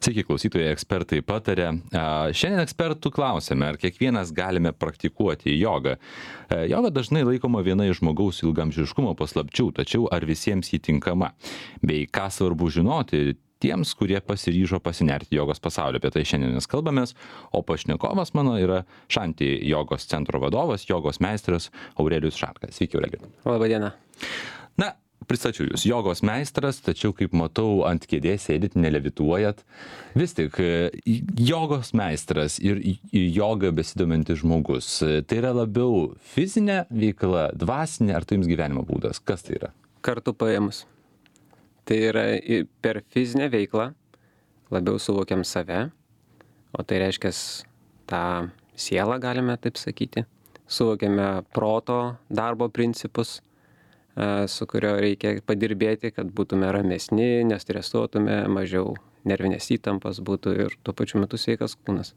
Sveiki, klausytojai, ekspertai patarė. Šiandien ekspertų klausėme, ar kiekvienas galime praktikuoti jogą. Joga dažnai laikoma viena iš žmogaus ilgamžiškumo paslapčių, tačiau ar visiems jį tinkama? Bei ką svarbu žinoti tiems, kurie pasiryžo pasinerti jogos pasaulio. Apie tai šiandien mes kalbamės, o pašnekovas mano yra Šanti jogos centro vadovas, jogos meistras Aurelijus Šarka. Sveiki, Aurelijus. Labą dieną. Na, pristačiau jūs, jogos meistras, tačiau kaip matau, ant kėdės sėdit, nelevituojat. Vis tik, jogos meistras ir joga besidomintis žmogus, tai yra labiau fizinė veikla, dvasinė, ar tai jums gyvenimo būdas? Kas tai yra? Kartu paėmus. Tai yra per fizinę veiklą labiau suvokiam save, o tai reiškia tą sielą, galime taip sakyti. Suvokiame proto darbo principus, su kurio reikia padirbėti, kad būtume ramesni, nestresuotume, mažiau nervinės įtampos būtų ir tuo pačiu metu sveikas kūnas.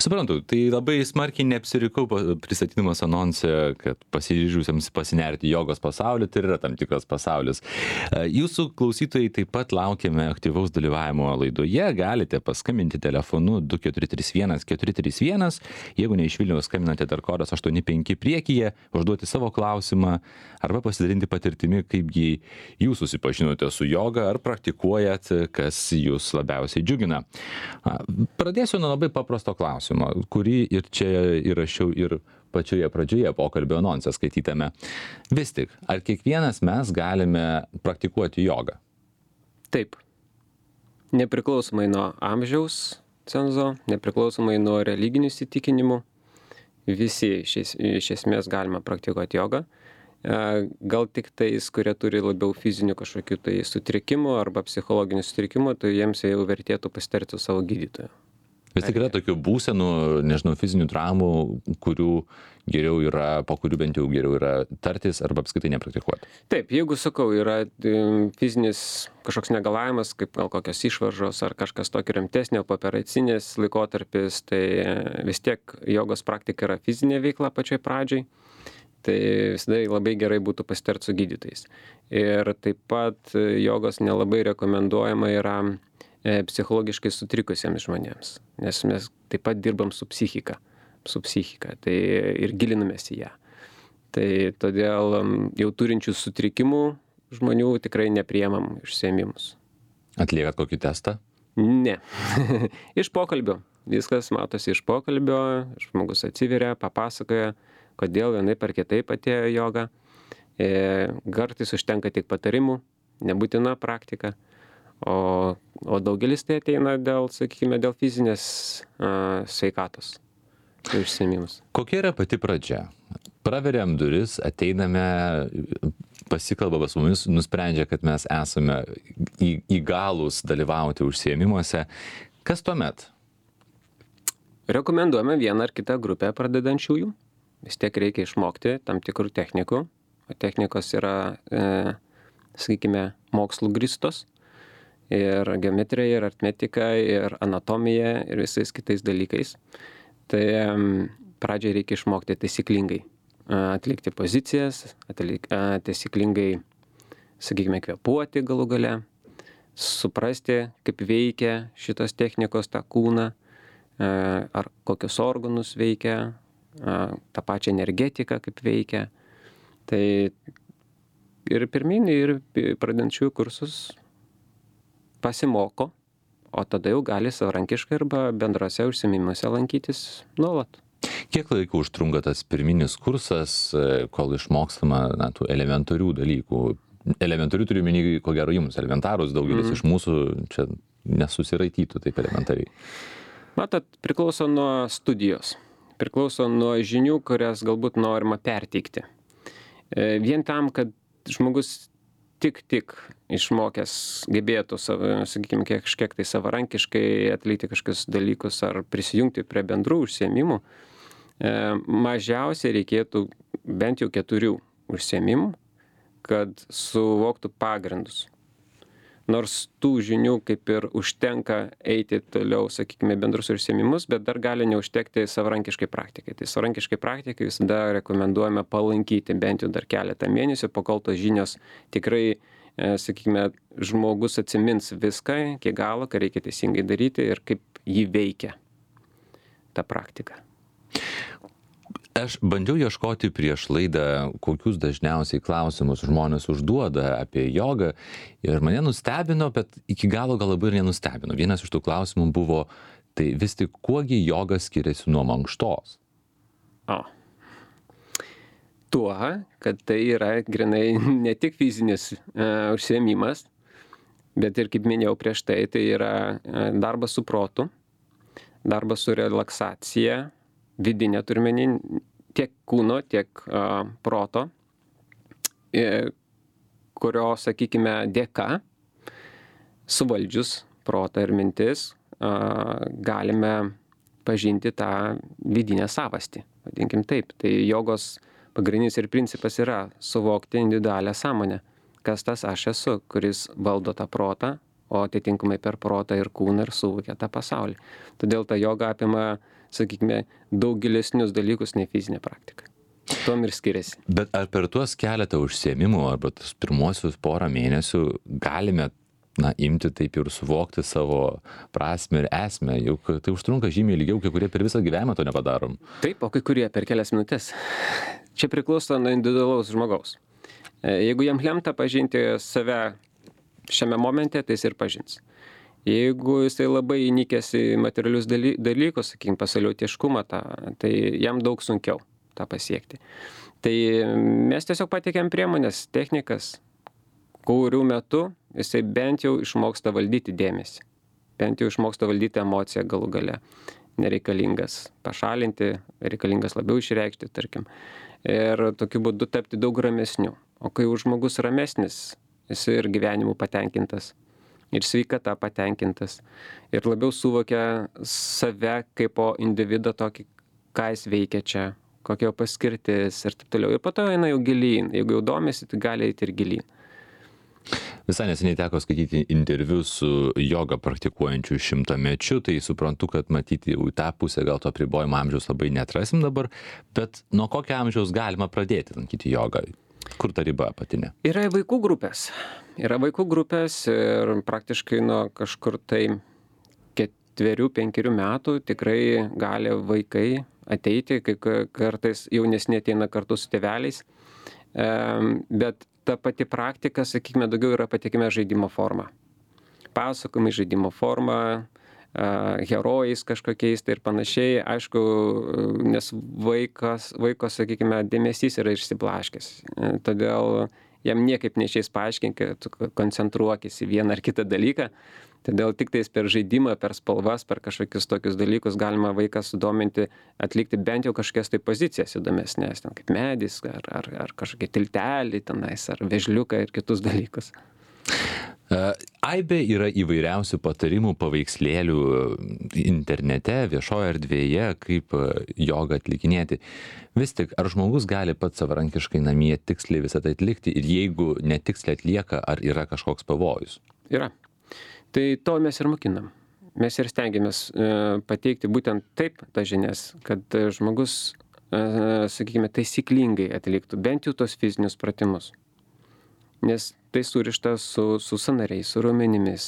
Suprantu, tai labai smarkiai neapsirikau pristatydamas anonse, kad pasiryžusiems pasinerti jogos pasaulį, tai yra tam tikras pasaulis. Jūsų klausytojai taip pat laukiame aktyvaus dalyvavimo laidoje, galite paskambinti telefonu 2431-431, jeigu ne iš Vilniaus skambinate dar kodas 85 priekyje, užduoti savo klausimą arba pasidalinti patirtimi, kaipgi jūs susipažinote su joga ar praktikuojat, kas jūs labiausiai džiugina. Pradėsiu nuo labai paprasto klausimo, kurį ir čia įrašiau ir pačioje pradžioje pokalbio anonse skaitytame. Vis tik, ar kiekvienas mes galime praktikuoti jogą? Taip. Nepriklausomai nuo amžiaus cenzo, nepriklausomai nuo religinių įsitikinimų, visi iš esmės galime praktikuoti jogą. Gal tik tais, kurie turi labiau fizinių kažkokių tai sutrikimų arba psichologinių sutrikimų, tai jiems jau vertėtų pasitarti su savo gydytoju. Vis tik yra tokių būsenų, nežinau, fizinių traumų, po kurių bent jau geriau yra tartis arba apskritai nepraktikuoti. Taip, jeigu sakau, yra fizinis kažkoks negalavimas, kaip gal kokios išvaržos ar kažkas tokio rimtesnio, pooperacinės laikotarpis, tai vis tiek jogos praktika yra fizinė veikla pačioj pradžiai. Tai visada labai gerai būtų pasitarti su gydytojais. Ir taip pat jogos nelabai rekomenduojama yra psichologiškai sutrikusiems žmonėms, nes mes taip pat dirbam su psichika, tai ir gilinamės į ją. Tai todėl jau turinčių sutrikimų žmonių tikrai nepriemam užsiėmimus. Atliekat kokį testą? Ne. Iš pokalbio. Viskas matosi iš pokalbio, žmogus atsiveria, papasakoja, kodėl vienaip ar kitaip atėjo joga. Kartais užtenka tik patarimų, nebūtina praktika. O daugelis tai ateina dėl fizinės sveikatos užsiėmimus. Kokia yra pati pradžia? Praveriam duris, ateiname, pasikalba su mumis, nusprendžia, kad mes esame įgalūs dalyvauti užsiėmimuose. Kas tuomet? Rekomenduojame vieną ar kitą grupę pradedančiųjų. Vis tiek reikia išmokti tam tikrų technikų. O technikos yra, mokslų grįstos. Ir geometrija, ir aritmetika, ir anatomija, ir visais kitais dalykais. Tai pradžiai reikia išmokti taisyklingai atlikti pozicijas, taisyklingai, kvėpuoti galų gale, suprasti, kaip veikia šitos technikos tą kūną, ar kokius organus veikia, tą pačią energetiką kaip veikia. Tai ir pirminį, ir pradedančiųjų kursus pasimoko, o tada jau gali savarankiškai arba bendrose užsiėmimuose lankytis nuolat. Kiek laiko užtrunka tas pirminis kursas, kol išmokstama tų elementarių dalykų? Elementarių turiu omeny, ko gero jums, elementarus daugelis iš mūsų čia nesusiraitytų taip elementariai. Matot, priklauso nuo studijos, priklauso nuo žinių, kurias galbūt norima perteikti. Vien tam, kad žmogus tik išmokęs gebėtų, kažkiek tai savarankiškai atlikti kažkokius dalykus ar prisijungti prie bendrų užsiėmimų, mažiausiai reikėtų bent jau 4 užsiėmimų, kad suvoktų pagrindus. Nors tų žinių kaip ir užtenka eiti toliau, bendrus užsiėmimus, bet dar gali neužtekti savarankiškai praktikai. Tai savarankiškai praktikai visada rekomenduojame palankyti bent jau dar keletą mėnesių, pakol tos žinios tikrai sakykime, žmogus atsimins viską iki galo, ką reikia teisingai daryti ir kaip jį veikia ta praktika. Aš bandžiau ieškoti prieš laidą, kokius dažniausiai klausimus žmonės užduoda apie jogą ir mane nustebino, bet iki galo gal labai ir nenustebino. Vienas iš tų klausimų buvo, tai vis tik kuogi joga skiriasi nuo mankštos? Tuo, kad tai yra grinai ne tik fizinis užsiėmimas, bet ir, kaip minėjau prieš tai, tai yra darbas su protu, darbas su relaksacija, vidinė turiuomenį, tiek kūno, tiek proto, kurio, sakykime, dėka, suvaldžius protą ir mintis, galime pažinti tą vidinę savastį, vadinkim taip. Tai jogos pagrindinis ir principas yra suvokti individualią sąmonę, kas tas aš esu, kuris valdo tą protą, o atitinkamai per protą ir kūną ir suvokia tą pasaulį. Todėl ta joga apima, sakykime, daug gilesnius dalykus nei fizinė praktika. Tuom ir skiriasi. Bet ar per tuos keletą užsiėmimų arba tus pirmuosius porą mėnesių galime imti taip ir suvokti savo prasmę ir esmę, juk tai užtrunka žymiai ilgiau, kai kurie per visą gyvenimą to nepadarom. Taip, o kai kurie per kelias minutės. Čia priklauso nuo individualaus žmogaus. Jeigu jam lemta pažinti save šiame momente, tai jis ir pažins. Jeigu jisai labai įnikęs į materialius dalykus, sakykime, pasaulietiškumą, tai jam daug sunkiau tą pasiekti. Tai mes tiesiog pateikėm priemonės, technikas, kurių metu jisai bent jau išmoksta valdyti dėmesį, bent jau išmoksta valdyti emociją galų gale. Nereikalingas pašalinti, reikalingas labiau išreikšti, tarkim. Ir tokiu būdu tapti daug ramesniu. O kai jau žmogus ramesnis, jisai ir gyvenimu patenkintas, ir sveikata patenkintas, ir labiau suvokia save kaip po individą tokį, ką jis veikia čia, kokia jo paskirtis ir taip toliau. Ir po to eina jau gilyn. Jeigu jau domisi, tai gali eiti ir gilyn. Visai neseniai teko skaityti interviu su jogą praktikuojančiu 100-mečiu, tai suprantu, kad matyti jau į tą pusę gal to apribojimo amžiaus labai neatrasim dabar, bet nuo kokio amžiaus galima pradėti lankyti jogą? Kur ta riba apatinė? Yra vaikų grupės. Yra vaikų grupės ir praktiškai nuo kažkur tai 4-5 metų tikrai gali vaikai ateiti, kai kartais jaunesni ateina kartu su tėveliais. Bet ta pati praktika, sakykime, daugiau yra patikime žaidimo forma. Pasakojimai žaidimo forma, herojais kažkokiais tai ir panašiai. Aišku, nes vaiko, sakykime, dėmesys yra išsiblaškęs. Todėl jam niekaip neišeis paaiškinti, kad tu koncentruokis į vieną ar kitą dalyką. Todėl tik tais per žaidimą, per spalvas, per kažkokius tokius dalykus galima vaiką sudominti, atlikti bent jau kažkokias tai pozicijas įdomesnės, ten kaip medis, ar kažkokie tiltelį tenais, ar vežliuką ir kitus dalykus. Aibė yra įvairiausių patarimų, paveikslėlių internete, viešoje erdvėje, kaip jogą atlikinėti. Vis tik, ar žmogus gali pats savarankiškai namie tiksliai visą tai atlikti ir jeigu netiksliai atlieka, ar yra kažkoks pavojus? Yra. Tai to mes ir mokinam. Mes ir stengiamės pateikti būtent taip tas žinias, kad žmogus, sakykime, taisyklingai atliktų bent jau tos fizinius pratimus. Nes tai surišta su sąnariais, su raumenimis,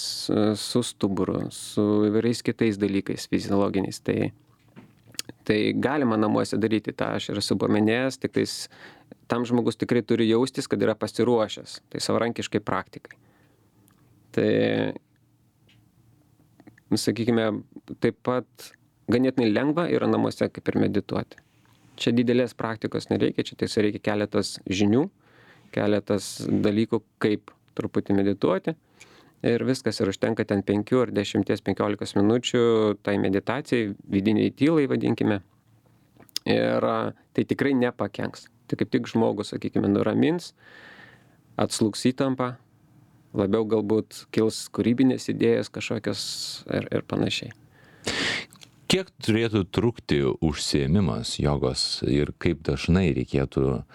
su stuburu, su įvairiais kitais dalykais fiziologiniais. Tai galima namuose daryti, tą aš ir esu paminėjęs, tik tais tam žmogus tikrai turi jaustis, kad yra pasiruošęs, tai savarankiškai praktikai. Tai, sakykime, taip pat ganėtinai lengva yra namuose kaip ir medituoti. Čia didelės praktikos nereikia, čia tiesiog reikia keletas žinių, keletas dalykų, kaip truputį medituoti ir viskas, ir užtenka ten 5 ar 10-15 minučių tai meditacijai, vidiniai tylai vadinkime, ir tai tikrai nepakenks. Tai kaip tik žmogus, sakykime, nuramins, atslūgs įtampą, labiau galbūt kils kūrybinės idėjas kažkokios ir panašiai. Kiek turėtų trukti užsiėmimas jogos ir kaip dažnai reikėtų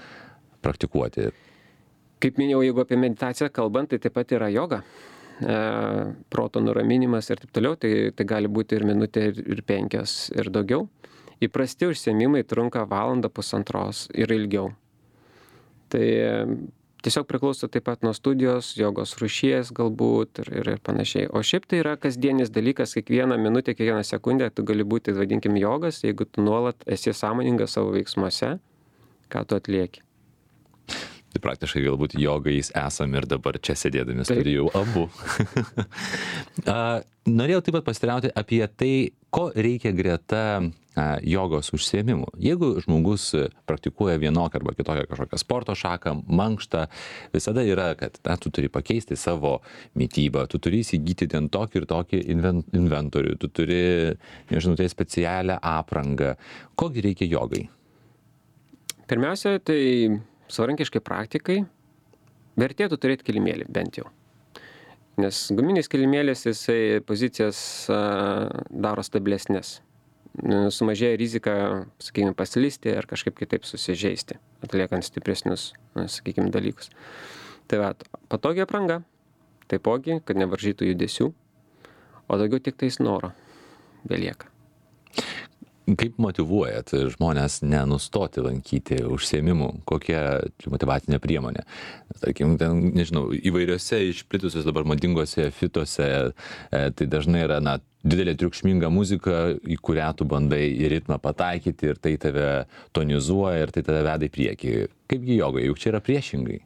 praktikuoti? Kaip minėjau, jeigu apie meditaciją kalbant, tai taip pat yra joga, proto nuraminimas ir taip toliau, tai gali būti ir minutė, ir 5 ir daugiau. Įprasti užsiėmimai trunka 1-1.5 ir ilgiau. Tai Tiesiog priklauso taip pat nuo studijos, jogos rūšies galbūt ir panašiai. O šiaip tai yra kasdienis dalykas, kiekvieną minutę, kiekvieną sekundę tu gali būti, vadinkim, jogas, jeigu tu nuolat esi sąmoningas savo veiksmuose, ką tu atlieki. Tai praktiškai galbūt jogais esam ir dabar čia sėdėdami studijų abu. Norėjau taip pat pasiteirauti apie tai, ko reikia greta jogos užsiėmimų. Jeigu žmogus praktikuoja vienokią arba kitokią kažkokią sporto šaką, mankštą, visada yra, kad tu turi pakeisti savo mitybą, tu turi įsigyti ten tokį ir tokį inventorių, tu turi, nežinau, tai specialią aprangą. Kogi reikia jogai? Pirmiausia, tai savarankiškai praktikai vertėtų turėti kilimėlį bent jau. Nes guminis kilimėlis, jisai pozicijas daro stabilesnės. Sumažėja rizika, sakykime, paslysti ar kažkaip kitaip susižeisti, atliekant stipresnius, sakykime, dalykus. Tai va, patogi apranga, taipogi, kad nevaržytų judesių, o daugiau tik tais noro belieka. Kaip motyvuojat žmonės nenustoti lankyti užsiėmimų? Kokia motyvacinė priemonė? Tarkim, ten, nežinau, įvairiose išplitusios dabar madingose fituose, tai dažnai yra, didelė triukšminga muzika, į kurią tu bandai į ritmą pataikyti ir tai tave tonizuoja ir tai tave veda į priekį. Kaipgi jogai, juk čia yra priešingai?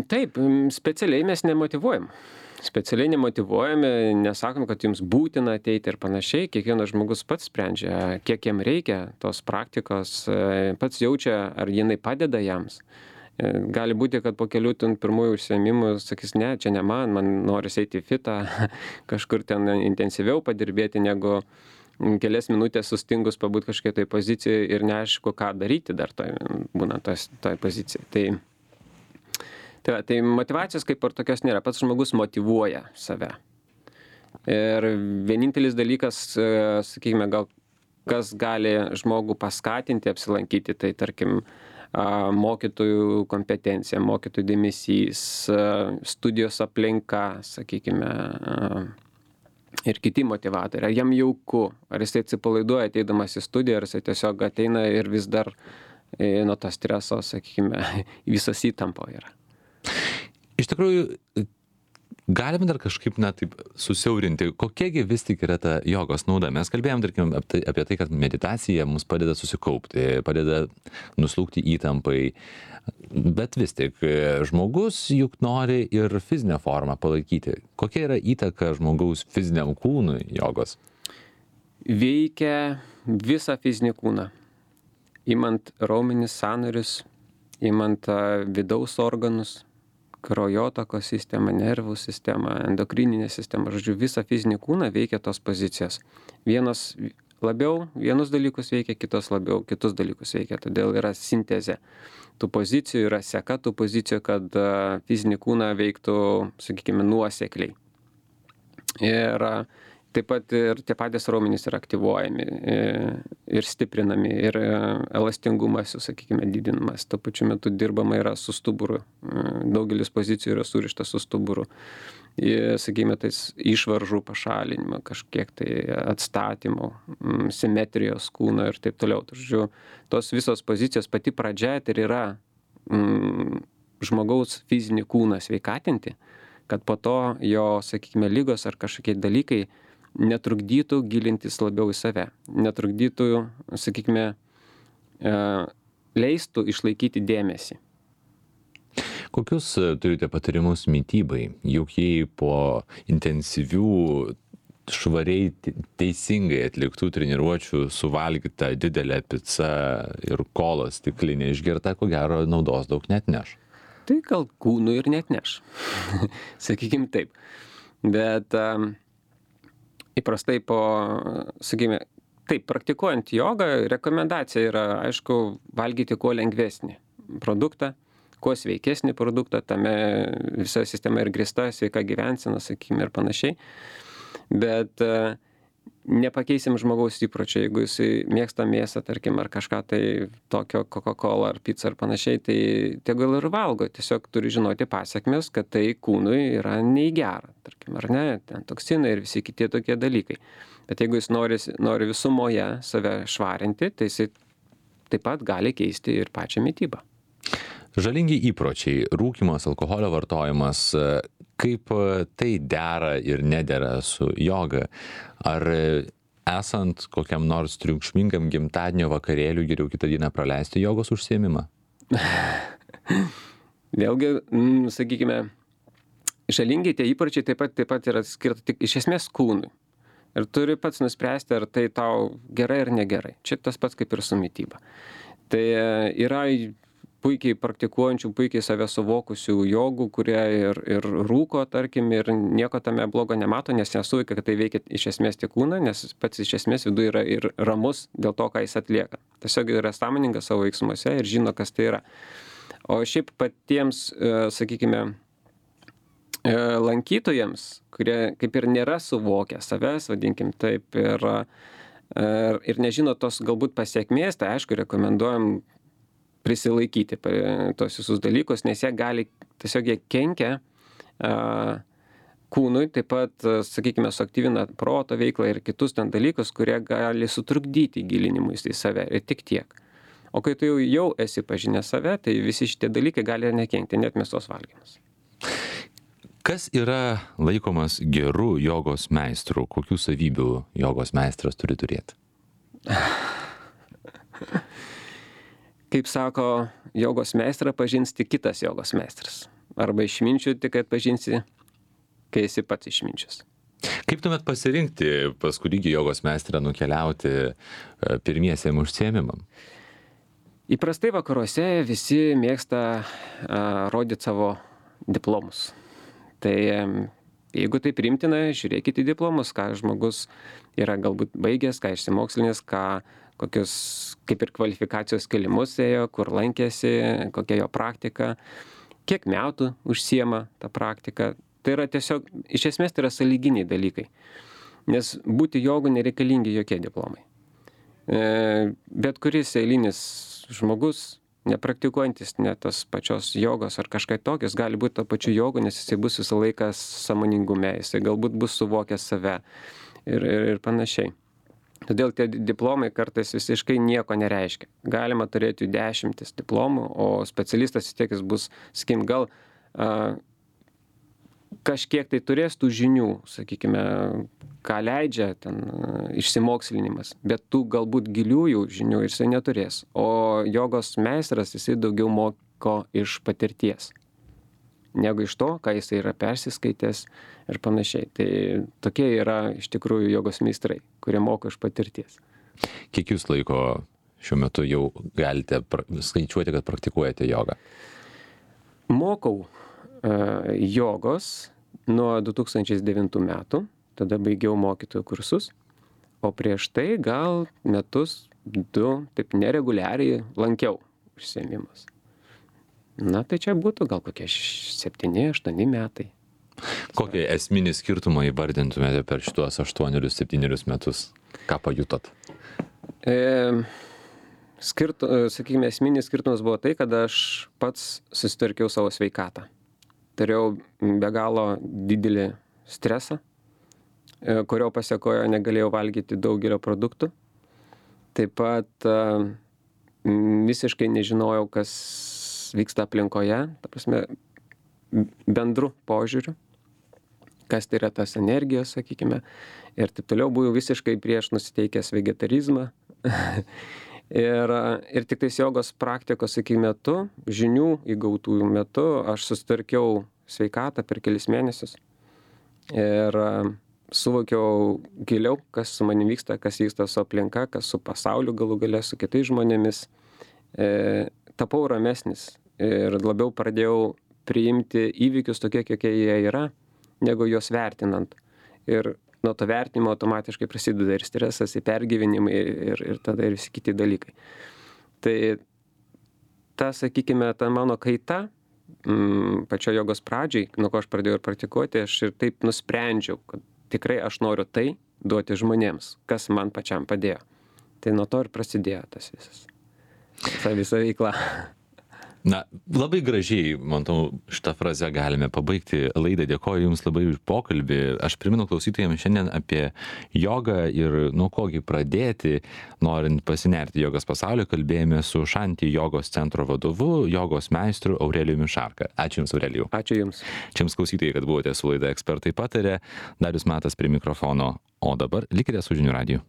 Taip, specialiai mes nemotyvuojam. Specialiai nemotyvuojame, nesakom, kad jums būtina ateiti ir panašiai. Kiekvienas žmogus pats sprendžia, kiek jam reikia tos praktikos, pats jaučia, ar jinai padeda jams. Gali būti, kad po kelių pirmųjų užsiėmimų sakys, ne, čia ne man noris eiti į fitą, kažkur ten intensyviau padirbėti, negu kelias minutės sustingus pabūt kažkiek tai pozicijoje ir neaišku, ką daryti dar būna toj pozicijai. Tai motyvacijos kaip ir tokios nėra, pats žmogus motyvuoja save. Ir vienintelis dalykas, sakykime, gal kas gali žmogų paskatinti apsilankyti, tai tarkim mokytojų kompetencija, mokytojų dėmesys, studijos aplinka, sakykime, ir kiti motyvatoriai. Ar jam jauku, ar jisai atsipalaiduoja ateidamas į studiją, ar jisai tiesiog ateina ir vis dar nuo to streso, sakykime, visas įtampo yra. Iš tikrųjų, galime dar kažkaip taip susiaurinti, kokiagi vis tik yra ta jogos nauda. Mes kalbėjom, tarkim, apie tai, kad meditacija mums padeda susikaupti, padeda nuslūgti įtampai, bet vis tik žmogus juk nori ir fizinę formą palaikyti. Kokia yra įtaka žmogaus fiziniam kūnui jogos? Veikia visą fizinį kūną. Imant raumenis, sąnarius, imant vidaus organus, kraujotakos sistemą, nervų sistemą, endokrininę sistemą, žodžiu, visą fizinį kūną veikia tos pozicijos. Vienos labiau, vienus dalykus veikia, kitos labiau, kitus dalykus veikia, todėl yra sintezė. Tų pozicijų yra seka tų pozicijų, kad fizinį kūną veiktų, sakykime, nuosekliai. Ir taip pat ir tie patys raumenys yra aktyvuojami ir stiprinami, ir elastingumas, sakykime, didinamas. Tuo pačiu metu dirbama yra su stuburu. Daugelis pozicijų yra surištas su stuburu. Sakykime, tais išvaržų pašalinimo, kažkiek tai atstatymo, simetrijos kūno ir taip toliau. Žodžiu, tos visos pozicijos pati pradžia ir yra žmogaus fizinį kūną sveikatinti, kad po to jo, sakykime, lygos ar kažkokie dalykai netrukdytų gilintis labiau į save, netrukdytų, sakykime, leistų išlaikyti dėmesį. Kokius turite patarimus mitybai? Juk jei po intensyvių, švariai, teisingai atliktų treniruočių suvalgyta didelė pica ir kola stiklinė išgerta, ko gero naudos daug neatneš. Tai gal kūnų ir neatneš. Sakykim taip. Bet įprastai sakykime, taip, praktikuojant jogą, rekomendacija yra, aišku, valgyti kuo lengvesnį produktą, kuo sveikesnį produktą, tame visa sistema ir grįsta, sveika gyvensena, sakykime, ir panašiai. Bet nepakeisim žmogaus įpročio, jeigu jisai mėgsta mėsą, tarkim, ar kažką tai tokio, Coca-Cola ar pizza ar panašiai, tai tegul ir valgo, tiesiog turi žinoti pasekmes, kad tai kūnui yra nei gera, tarkim, ar ne, ten toksinai ir visi kiti tokie dalykai. Bet jeigu jis nori visumoje save švarinti, tai jisai taip pat gali keisti ir pačią mitybą. Žalingi įpročiai, rūkymas, alkoholio vartojimas, kaip tai dera ir nedera su joga? Ar esant kokiam nors triukšmingam gimtadienio vakarėliui geriau kitą dieną praleisti jogos užsiėmimą? Vėlgi, sakykime, žalingi tie įpročiai taip pat yra skirta tik iš esmės kūnui. Ir turi pats nuspręsti, ar tai tau gerai ar negerai. Čia tas pats kaip ir su mityba. Tai yra puikiai praktikuojančių, puikiai save suvokusių jogų, kurie ir rūko, tarkim, ir nieko tame blogo nemato, nes nesuvokia, kad tai veikia iš esmės tik kūną, nes pats iš esmės viduje yra ir ramus dėl to, ką jis atlieka. Tiesiog yra sąmoningas savo veiksmuose ir žino, kas tai yra. O šiaip patiems, sakykime, lankytojams, kurie kaip ir nėra suvokę savęs, vadinkim taip, ir nežino tos galbūt pasiekmės, tai aišku, rekomenduojam prisilaikyti tos visus dalykus, nes jie kenkia kūnui, taip pat, sakykime, suaktyvina proto veiklą ir kitus ten dalykus, kurie gali sutrukdyti gilinimuisi į save ir tik tiek. O kai tu jau esi pažinęs save, tai visi šitie dalykai gali ir nekenkti, net mėsos valgymas. Kas yra laikomas geru jogos meistru? Kokių savybių jogos meistras turi turėti? Kaip sako, jogos meistrą pažins tik kitas jogos meistras. Arba išminčių tik atpažinsi, kai esi pats išminčius. Kaip tuomet pasirinkti pas kurį jogos meistrą nukeliauti pirmiesiem užsiėmimam? Įprastai vakaruose visi mėgsta rodyti savo diplomus. Tai jeigu tai priimtina, žiūrėkite į diplomus, ką žmogus yra galbūt baigęs, ką išsimokslinęs, kokius kaip ir kvalifikacijos kėlimus ėjo, kur lankėsi, kokia jo praktika, kiek metų užsiema tą praktiką. Tai yra tiesiog, iš esmės tai yra sąlyginiai dalykai. Nes būti jogu nereikalingi jokie diplomai. Bet kuris eilinis žmogus, nepraktikuojantis net tos pačios jogos ar kažką tokios, gali būti to pačiu jogu, nes jisai bus visą laiką sąmoningume, jisai galbūt bus suvokęs save ir panašiai. Todėl tie diplomai kartais visiškai nieko nereiškia. Galima turėti 10 diplomų, o specialistas vis tiek jis bus, sakykim, gal kažkiek tai turės tų žinių, sakykime, ką leidžia ten išsimokslinimas, bet tų galbūt giliųjų žinių jisai neturės. O jogos meistras jisai daugiau moko iš patirties, negu iš to, ką jisai yra persiskaitęs ir panašiai. Tai tokie yra iš tikrųjų jogos meistrai, kurie moko iš patirties. Kiek jūs laiko šiuo metu jau galite skaičiuoti, kad praktikuojate jogą? Mokau jogos nuo 2009 metų, tada baigiau mokytojų kursus, o prieš tai gal metus, 2, taip nereguliariai lankiau užsiėmimus. Na, tai čia būtų gal kokie 7-8 metai. Kokį esminį skirtumą įvardintumėte per šitos 8-7 metus? Ką pajutot? Sakykime, esminis skirtumas buvo tai, kad aš pats susitvarkiau savo sveikatą. Turėjau be galo didelį stresą, kurio pasekojo negalėjau valgyti daugelio produktų. Taip pat visiškai nežinojau, kas vyksta aplinkoje, ta prasme, bendru požiūriu, kas tai yra tas energijos, sakykime, ir taip toliau buvau visiškai prieš nusiteikęs vegetarizmą. ir tik tais jogos praktikos, sakykime, metu, žinių įgautų metu, aš susitvarkiau sveikatą per kelis mėnesius ir suvokiau giliau, kas su manim vyksta, kas vyksta su aplinka, kas su pasauliu galų gale, su kitais žmonėmis. Tapau ramesnis ir labiau pradėjau priimti įvykius tokie, kokie jie yra, negu juos vertinant. Ir nuo to vertinimo automatiškai prasideda ir stresas, ir pergyvenimai, ir tada ir visi kiti dalykai. Tai ta, sakykime, ta mano kaita, pačio jogos pradžiai, nuo ko aš pradėjau ir praktikuoti, aš ir taip nusprendžiau, kad tikrai aš noriu tai duoti žmonėms, kas man pačiam padėjo. Tai nuo to ir prasidėjo tas visas. Ta visa veikla. Na, labai gražiai, manau, šitą frazę galime pabaigti laidą. Dėkoju Jums labai už pokalbį. Aš primenu klausytojams šiandien apie jogą ir nuo kogi pradėti, norint pasinerti jogos pasaulio. Kalbėjome su Šanti jogos centro vadovu, jogos meistru Aurelijumi Šarka. Ačiū Jums, Aurelijau. Ačiū Jums. Čia Jums klausytojai, kad buvote su laida Ekspertai pataria. Darius Matas prie mikrofono. O dabar likite su Žinių radiju.